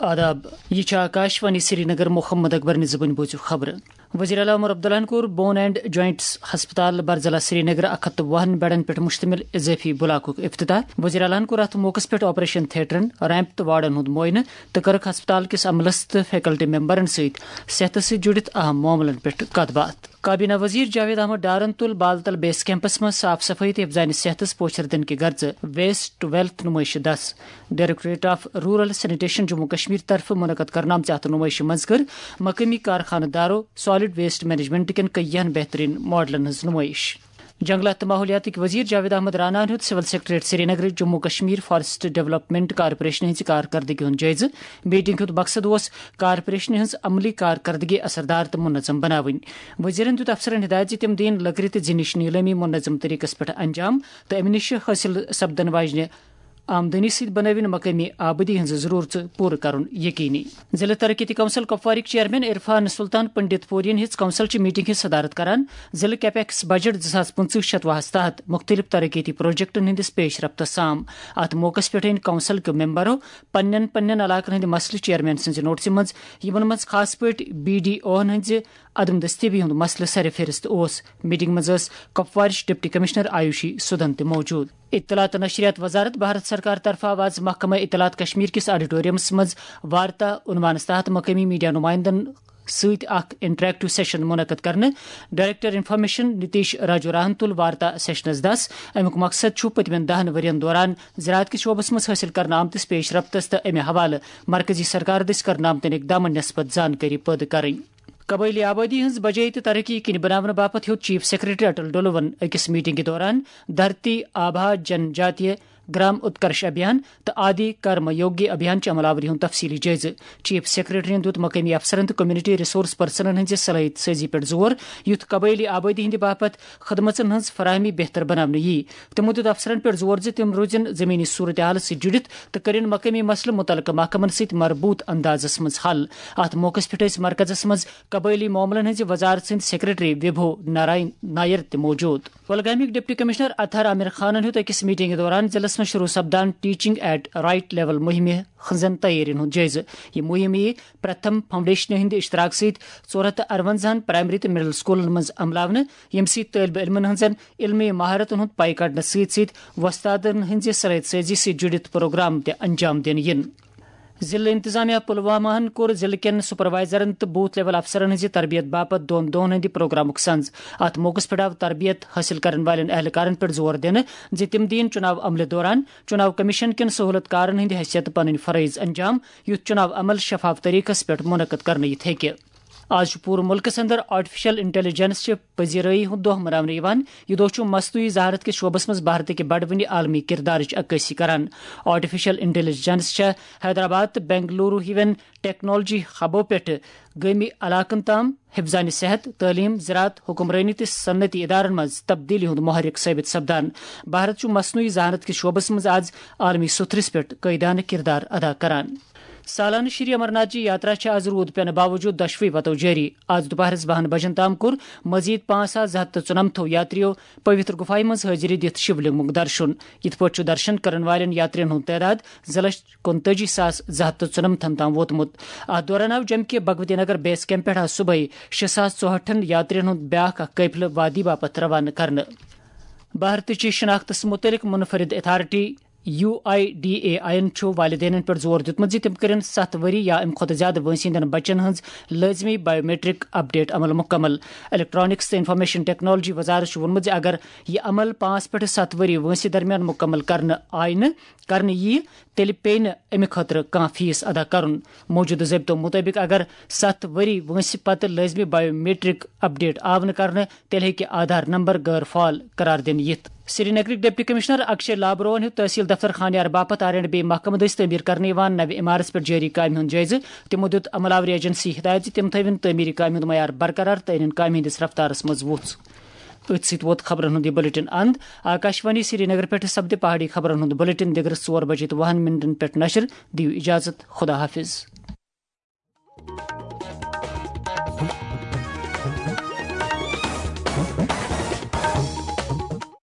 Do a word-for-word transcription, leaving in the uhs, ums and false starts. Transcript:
آداب، یہ چھِ آکاشوانی سرینگر۔ محمد اکبر نِزبٕنۍ بوٗزِو خبرٕ۔ وزیر اعلیٰ عمر عبداللہن کوٚر بون اینڈ جوائنٹس ہسپتال برزلا سرینگر اکھ ہتھ تہٕ وُہن بیڈن پٮ۪ٹھ مشتمل اضافی بلاکُک افتتاح۔ وزیر اعلیٰ ہن کوٚر اتھ موقعس پٮ۪ٹھ آپریشن تھیٹرن، ریمپ تہٕ وارڈن ہُنٛد معائنہٕ تہٕ کٔرٕکھ ہسپتال کِس عملس تہٕ فیکلٹی ممبرن سۭتۍ صحتس سۭتۍ جُڑِتھ اہم معاملن پٮ۪ٹھ کتھ باتھ۔ کابینہ وزیر جاوید احمد ڈارن تُل بالتل بیس کیمپس منٛز صاف صفائی تہٕ حفظان صحتس پوچھر دِنہٕ کہِ غرضہٕ ویسٹ ٹو ویلتھ نمائش دس۔ Directorate of rural sanitation Jammu Kashmir طرفہٕ منعقد کرنہٕ آمژِ اتھ نمائشہِ منٛز کٔر مقٲمی کارخانہٕ دارو سالڈ ویسٹ مینجمنٹ کٮ۪ن کینٛہَن بہترین ماڈلن ہٕنٛز نمائش۔ جنگلات تہٕ ماحولیاتٕکۍ وزیر جاوید احمد رانا ہن ہیوٚت civil secretariat Srinagar Jammu Kashmir forest development corporation ہٕنٛزِ کارکردگی ہُنٛد جٲیزٕ۔ میٹنگ ہُنٛد مقصد اوس کارپوریشن ہٕنٛز عملی کارکردگی اثردار تہٕ منظم بناوٕنۍ۔ وزیرن دیُت افسرن ہدایت زِ تِم دِیِن لٔکرِ تہٕ زِنِش نیلٲمی منظم طریقس پٮ۪ٹھ انجام تہٕ امہِ نِش حٲصِل سپدن واجنہِ آمدنی سۭتۍ بنٲوِن مقٲمی آبٲدی ہٕنٛز ضروٗرژ پوٗرٕ کرُن یقینی۔ ضلع ترقیتی کونسل کپوارٕکۍ چیئرمین عرفان سلطان پنڈت پورین ہیٚژ کونسل چہِ میٹنگ ہٕنٛز صدارت کران۔ ضلع کیپیکس بجٹ زٕ ساس پٕنٛژٕہ شتوُہس تحت مختلف ترقیتی پروجیکٹن ہٕنٛدِس پیش رفتس سام۔ اتھ موقعس پٮ۪ٹھ أنۍ کونسل کیو ممبرو پننٮ۪ن پننٮ۪ن علاقن ہٕنٛدۍ مسلہٕ چیئرمین سٕنٛزِ نوٹسہِ منٛز، یِمن منٛز خاص پٲٹھۍ بی ڈی اوہن ہٕنٛزِ عدم دستیابی ہُنٛد مسلہٕ سرِ فہرست اوس۔ میٹنگ منٛز ٲس کپوارٕچ ڈپٹی کمشنر آیوشی سدھن تہِ موجود۔ اطلاعات تہٕ نشریات وزارت بھارت سرکار طرفہٕ آو آز محکمہ اطلاعات کشمیر کِس آڈیٹورمس منٛز وارتا عنوانس تحت مقٲمی میڈیا نمائندن سۭتۍ اکھ انٹریکٹو سیشن منعقد کرنہٕ۔ ڈائریکٹر انفارمیشن نتیش راجوراہن تُل وارتا سیشنس دس۔ امیُک مقصد چھُ پٔتمٮ۪ن دہن ؤرین دوران زراعت کِس شعبس منٛز حٲصِل کرنہٕ آمتِس پیش رفتس تہٕ امہِ حوالہٕ مرکزی سرکار دٔسۍ کرنہٕ آمتٮ۪ن اقدامن نسبت زانکٲری پٲدٕ کرٕنۍ۔ قبٲئلی آبٲدی ہٕنٛز بجٲیی تہٕ ترقی یقینی بناونہٕ باپتھ ہیوٚت چیف سیکرٹری اٹل ڈولوَن أکِس میٹنگہِ دوران دھرتی آبھا جن جاتیہ گرام اتکرش ابھیان تہٕ آدی کرم یوگی ابھیان چہِ عمل آوری ہُنٛد تفصیلی جٲیزٕ۔ چیف سیکرٹریَن دیُت مقٲمی افسرن تہٕ کمیونٹی ریسورس پرسنن ہٕنٛزِ صلٲحیت سٲزی پٮ۪ٹھ زور، یُتھ قبٲئلی آبٲدی ہٕنٛدِ باپتھ خدمژن ہٕنٛز فراہمی بہتر بناونہٕ یِیہِ۔ تِمو دیُت افسرن پٮ۪ٹھ زور زِ تِم روزن زمینی صورتحالس سۭتۍ جُڑِتھ تہٕ کٔرِن مقٲمی مسلہٕ مُتعلقہٕ محکمن سۭتۍ مربوط اندازس منٛز حل۔ اتھ موقعس پٮ۪ٹھ ٲسۍ مرکزس منٛز قبٲئلی معاملن ہٕنٛزِ وزارت سٕنٛدۍ سیکرٹری وبھو نارائن نائر تہِ موجود۔ کۄلگامٕکۍ ڈپٹی کمشنر اطہر عامر خانن ہیوٚت أکِس میٹنگہِ دوران ضلعس منٛز شروع سپدان ٹیچنگ ایٹ رائٹ لیول مُہِمہِ ہٕنٛزن تیٲرین ہُنٛد جٲیزٕ۔ یہِ مُہِم یِیہِ پرتھم فاؤنڈیشنہِ ہٕنٛدِ اشتراک سۭتۍ ژور ہتھ تہٕ ارونزاہن پرائمری تہٕ مڈل سکولن منٛز عملاونہٕ، ییٚمہِ سۭتۍ طٲلبہِ علمن ہٕنٛزن علمی مہارتن ہُنٛد پے کڑنہٕ سۭتۍ سۭتۍ وۄستادن ہٕنٛزِ صلٲحیت سٲزی سۭتۍ جُڑِتھ پروگرام تہِ انجام دِنہٕ یِن۔ ضلع انتظامیہ پلوامہ ہن کوٚر ضلع کٮ۪ن سپروائزرن تہٕ بوتھ لیول افسرن ہٕنٛزِ تربیت باپتھ دۄن دۄہن ہٕنٛدِ پروگرامُک سنز۔ اتھ موقعس پٮ۪ٹھ آو تربیت حٲصِل کرن والٮ۪ن اہلکارن پٮ۪ٹھ زور دِنہٕ زِ تِم دِیِن چُناو عملہِ دوران چُناو کمیشن کٮ۪ن سہولت کارن ہٕنٛدِ حیثیت پنٕنۍ فرٲیض انجام، یُتھ چُناو عمل شفاف طریقس پٮ۪ٹھ منعقد کرنہٕ یِتھ ہیٚکہِ۔ آز چھُ پوٗرٕ مُلکَس اندر آرٹیفیشل انٹیلیجنس چہِ پذیرٲیی ہُنٛد دۄہ مناونہٕ یِوان۔ یہِ دۄہ چھُ مصنوعی ذہانت کِس شعبس منٛز بھارتٕکہِ بڑوٕنہِ عالمی کردارٕچ عکٲسی کران۔ آرٹیفیشل انٹیلیجنس چھےٚ حیدرآباد تہٕ بنگلورو ہِوٮ۪ن ٹیکنالوجی ہبو پٮ۪ٹھٕ گٲمی علاقن تام حفظانِ صحت، تعلیم، زراعت، حکمرٲنی تہٕ صنعتی ادارن منٛز تبدیلی ہُنٛد محرک ثٲبت سپدان۔ بھارت چھُ مصنوعی ذہانت کِس شعبس منٛز آز عالمی سطحس پٮ۪ٹھ قٲیدانہٕ کردار ادا کران۔ سالانہٕ شری امرناتھ جی یاترا چھِ آز روٗد پینہٕ باوجوٗد دۄشوٕے وتو جٲری۔ آز دُپہرس بَہَن بجن تام کوٚر مزید پانٛژھ ساس زٕ ہتھ تہٕ ژُنَمتھو یاتریو پویتر گُفایہِ منٛز حٲضری دِتھ شِولنگُک درشُن۔ یِتھ پٲٹھۍ چھُ درشن کرن والٮ۪ن یاترین ہُنٛد تعداد زٕ لچھ کُنتٲجی ساس زٕ ہتھ تہٕ ژُنَمتھن تام ووتمُت۔ اتھ دوران آو جمکے بھگوتی نگر بیس کیمپ پٮ۪ٹھ آز صبحٲے شےٚ ساس ژُہٲٹھن یاترین ہُنٛد بیاکھ اکھ قٲفلہٕ وادی باپتھ روانہٕ کرنہٕ۔ بھارتٕچہِ شناختس مُتعلق منفرد authority U I D A I یَن چھُ والدینن پٮ۪ٹھ زور دیُتمُت زِ تِم کٔرِن ستھ ؤری یا اَمہِ کھۄتہٕ زِیٛادٕ وٲنٛسہِ ہٕنٛدٮ۪ن بچن ہٕنٛز لٲزمی بائیومیٹرک اپ ڈیٹ عمل مُکمل۔ الیکٹرانکس تہٕ انفارمیشن ٹیکنالوجی وزارت چھُ ووٚنمُت زِ اگر یہِ عمل پانٛژھ پٮ۪ٹھٕ ستھ ؤری وٲنٛسہِ درمیان مُکمل کرنہٕ آیہِ نہٕ، کرنہٕ یِیہِ، تیٚلہِ پیٚیہِ نہٕ اَمہِ خٲطرٕ کانٛہہ فیس ادا کرُن۔ موٗجوٗدٕ ضٲبطو مُطٲبِق اگر ستھ ؤری وٲنٛسہِ پتہٕ لٲزمی بائیومیٹرک اپ ڈیٹ آو نہٕ کرنہٕ، تیٚلہِ ہیٚکہِ آدھار نمبر غٲر فعال قرار دِنہٕ یِتھ۔ سرینگرٕکۍ ڈپٹی کمشنر اکشے لابروہن ہیوٚت تحصیل دفتر خانیار باپتھ آر اینڈ بی محکمہٕ دٔسۍ تعمیٖر کرنہٕ یِوان نوِ عمارژ پٮ۪ٹھ جٲری کامہِ ہُنٛد جٲیزٕ۔ تِمو دیُت عمل آوری ایجنسی ہدایت زِ تِم تھٲوِن تعمیٖری کامہِ ہُنٛد معیار برقرار تہٕ أنِن کامہِ ہٕنٛدِس رفتارس منٛز وُژھ۔ أتھۍ سۭتۍ ووت خبرن ہُنٛد یہِ بلیٹن اند۔ آکاشوانی سرینگر پٮ۪ٹھ سپدِ پہاڑی خبرن ہُنٛد بلیٹن دِگرس ژور بجے تہٕ وُہن منٹن پٮ۪ٹھ نشر۔ دِیِو اجازت، خدا حافظ۔